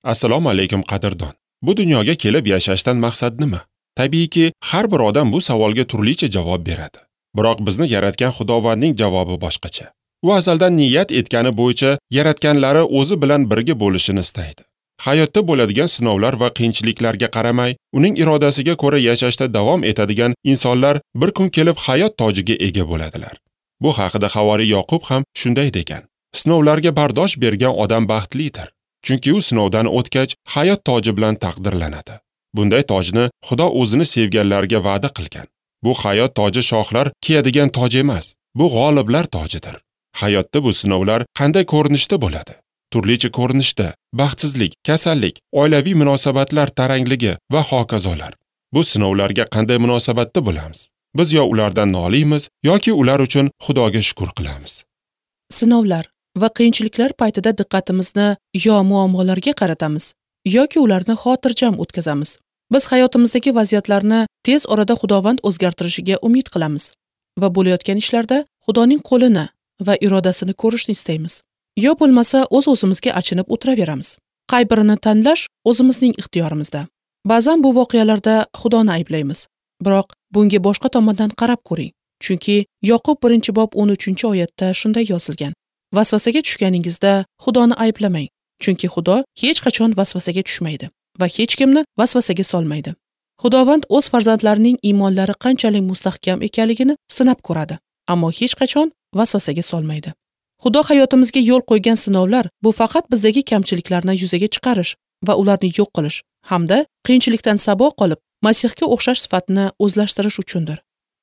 Assalomu alaykum qadrdon. Bu dunyoga kelib yashashdan maqsad nima? Tabiiyki, har bir odam bu savolga turlicha javob beradi. Biroq bizni yaratgan Xudovandning javobi boshqacha. U azaldan niyat etgani bo'yicha yaratganlari o'zi bilan birga bo'lishini istaydi. Hayotda bo'ladigan sinovlar va qiyinchiliklarga qaramay, uning irodasiga ko'ra yashashda davom etadigan insonlar bir kun kelib hayot tojiga ega bo'ladilar. Bu haqida Havoriy Yoqub ham shunday degan: Sinovlarga bardosh bergan odam baxtlidir, chunki u sinovdan o'tgach hayot toji bilan taqdirlanadi. Bunday tojni Xudo o'zini sevganlarga va'da qilgan. Bu hayot toji shohlar kiyadigan toj emas, bu g'oliblar tojidir. Hayotda bu sinovlar qanday ko'rinishda bo'ladi? Turlicha ko'rinishda: baxtsizlik, kasallik, oilaviy munosabatlar tarangligi va hokazolar. Bu sinovlarga qanday munosabatda bo'lamiz? Biz yo ulardan noliymiz yoki ular uchun Xudoga shukr qilamiz. Sinovlar va qiyinchiliklar paytida diqqatimizni yo muammolarga qaratamiz, yoki ularni xotirjam o'tkazamiz. Biz hayotimizdagi vaziyatlarni tez orada Xudovand o'zgartirishiga umid qilamiz va bo'layotgan ishlarda Xudoning qo'lini va irodasini ko'rishni istaymiz. Yo bo'lmasa o'z-o'zimizga achinib o'tiraveramiz. Qay birini tanlash o'zimizning ixtiyorimizda. Ba'zan bu voqealarda Xudoni ayblaymiz. Biroq bunga boshqa tomondan qarab ko'ring. Chunki Yoqub 1-bob 13-oyatda shunday yozilgan: Vasvasaga tushganingizda Xudoni ayblamang, chunki Xudo hech qachon vasvasaga tushmaydi va hech kimni vasvasaga solmaydi. Xudovand o'z farzandlarining iymonlari qanchalik mustahkam ekanligini sinab ko'radi, ammo hech qachon vasvasaga solmaydi. Xudo hayotimizga yo'l qo'ygan sinovlar bu faqat bizdagi kamchiliklarni yuzaga chiqarish va ularni yo'q qilish hamda qiyinchilikdan saboq olib, Masihga o'xshash sifatni o'zlashtirish uchundir.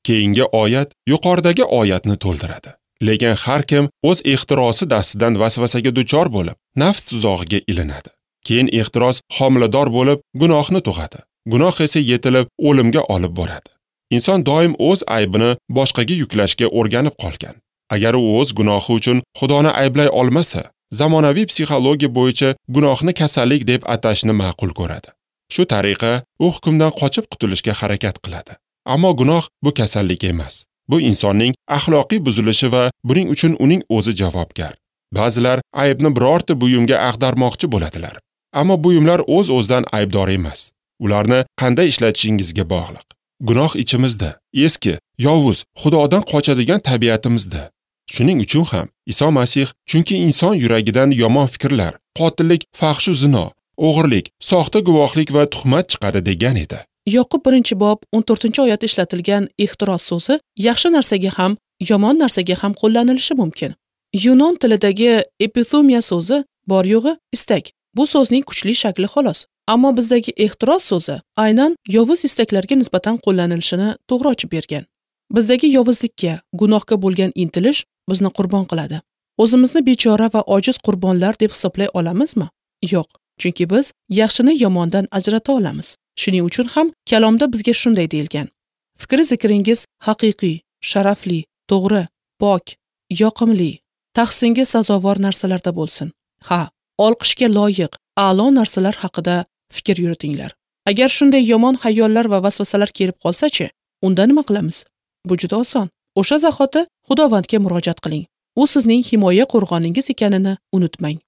Keyingi oyat yuqoridagi oyatni to'ldiradi. Lekin har kim o'z ehtirosi dastidan vasvasaga duchor bo'lib, nafs tuzog'iga ilinadi. Keyin ehtiros homilador bo'lib, gunohni tug'adi. Gunoh esa yetilib, o'limga olib boradi. Inson doim o'z aybini boshqaga yuklashga o'rganib qolgan. Agar u o'z gunohi uchun Xudoni ayblay olmasa, zamonaviy psixologiya bo'yicha gunohni kasallik deb atashni ma'qul ko'radi. Shu tariqa u hukmdan qochib qutulishga harakat qiladi. Ammo gunoh bu kasallik emas. Bu insonning axloqiy buzilishi va buning uchun uning o'zi javobgar. Ba'zilar aybni birorta buyumga ag'darmoqchi bo'ladilar. Ammo buyumlar o'z-o'zidan aybdor emas. Ularni qanday ishlatishingizga bog'liq. Gunoh ichimizda, eski, yovuz, Xudodan qochadigan tabiatimizda. Shuning uchun ham Iso Masih, chunki inson yuragidan yomon fikrlar, qotillik, fahshu zino, o'g'irlik, soxta guvohlik va tuhmat chiqadi degan edi. Yoqub 1-bob 14-oyat ishlatilgan ehtiros so'zi yaxshi narsaga ham, yomon narsaga ham qo'llanilishi mumkin. Yunon tilidagi epithumiya so'zi bor yo'g'i istak. Bu so'zning kuchli shakli xolos. Ammo bizdagi ehtiros so'zi aynan yovuz istaklarga nisbatan qo'llanilishini to'g'ri ochib bergan. Bizdagi yovuzlikka, gunohga bo'lgan intilish bizni qurbon qiladi. O'zimizni bechora va ojiz qurbonlar deb hisoblay olamizmi? Yo'q, chunki biz yaxshini yomondan ajrata olamiz. Shuning uchun ham kalomda bizga shunday deyilgan: Fikri zikringiz haqiqiy, sharafli, to'g'ri, pok, yoqimli, tahsinga sazovor narsalarda bo'lsin. Ha, olqishga loyiq, a'lo narsalar haqida fikr yuritinglar. Agar shunday yomon xayollar va vasvasalar kelib qolsa-chi, unda nima qilamiz? Bu juda oson. O'sha zahoti Xudovandga murojaat qiling. U sizning himoya qo'rg'oningiz ekanini unutmang.